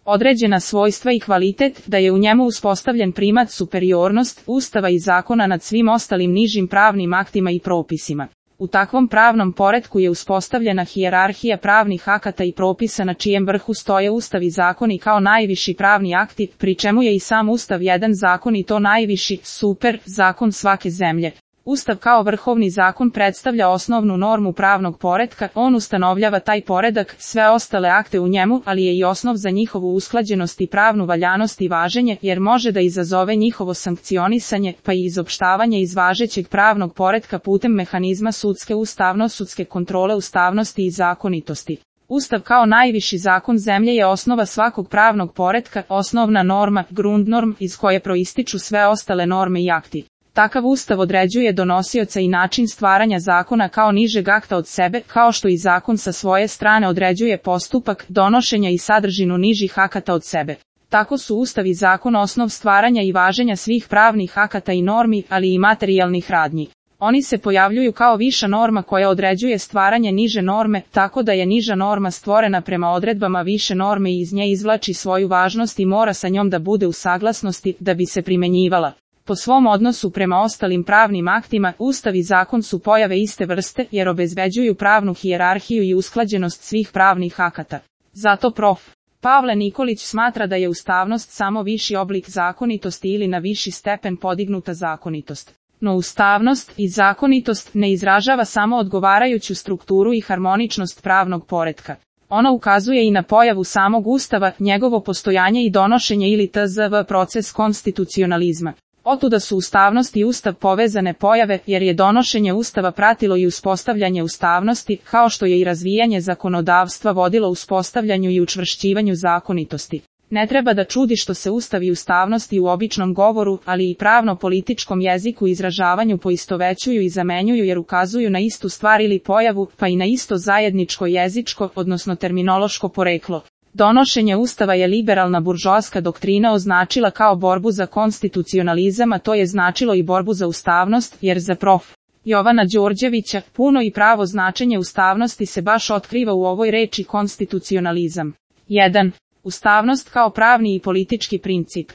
određena svojstva i kvalitet, da je u njemu uspostavljen primat superiornost Ustava i zakona nad svim ostalim nižim pravnim aktima i propisima. U takvom pravnom poretku je uspostavljena hijerarhija pravnih akata i propisa na čijem vrhu stoje Ustav i zakoni kao najviši pravni akti, pri čemu je i sam Ustav jedan zakon i to najviši, super, zakon svake zemlje. Ustav kao vrhovni zakon predstavlja osnovnu normu pravnog poretka, on ustanovljava taj poredak, sve ostale akte u njemu, ali je i osnov za njihovu usklađenost i pravnu valjanost i važenje, jer može da izazove njihovo sankcionisanje, pa i izopštavanje iz važećeg pravnog poretka putem mehanizma sudske ustavno-sudske kontrole ustavnosti i zakonitosti. Ustav kao najviši zakon zemlje je osnova svakog pravnog poretka, osnovna norma, grundnorm, iz koje proističu sve ostale norme i akti. Takav Ustav određuje donosioca i način stvaranja zakona kao nižeg akta od sebe, kao što i zakon sa svoje strane određuje postupak donošenja i sadržinu nižih akata od sebe. Tako su Ustav i zakon osnov stvaranja i važenja svih pravnih akata i normi, ali i materijalnih radnji. Oni se pojavljuju kao viša norma koja određuje stvaranje niže norme, tako da je niža norma stvorena prema odredbama više norme i iz nje izvlači svoju važnost i mora sa njom da bude u saglasnosti, da bi se primenjivala. Po svom odnosu prema ostalim pravnim aktima, Ustav i zakon su pojave iste vrste, jer obezbeđuju pravnu hijerarhiju i usklađenost svih pravnih akata. Zato prof. Pavle Nikolić smatra da je ustavnost samo viši oblik zakonitosti ili na viši stepen podignuta zakonitost. No ustavnost i zakonitost ne izražava samo odgovarajuću strukturu i harmoničnost pravnog poretka. Ona ukazuje i na pojavu samog Ustava, njegovo postojanje i donošenje ili tzv. Proces konstitucionalizma. Otuda su ustavnost i Ustav povezane pojave, jer je donošenje Ustava pratilo i uspostavljanje ustavnosti, kao što je i razvijanje zakonodavstva vodilo uspostavljanju i učvršćivanju zakonitosti. Ne treba da čudi što se Ustav i ustavnost i u običnom govoru, ali i pravno-političkom jeziku i izražavanju poistovećuju i zamenjuju jer ukazuju na istu stvar ili pojavu, pa i na isto zajedničko jezičko, odnosno terminološko poreklo. Donošenje Ustava je liberalna buržoaska doktrina označila kao borbu za konstitucionalizam, a to je značilo i borbu za ustavnost, jer za prof. Jovana Đorđevića, puno i pravo značenje ustavnosti se baš otkriva u ovoj reči konstitucionalizam. 1. Ustavnost kao pravni i politički princip.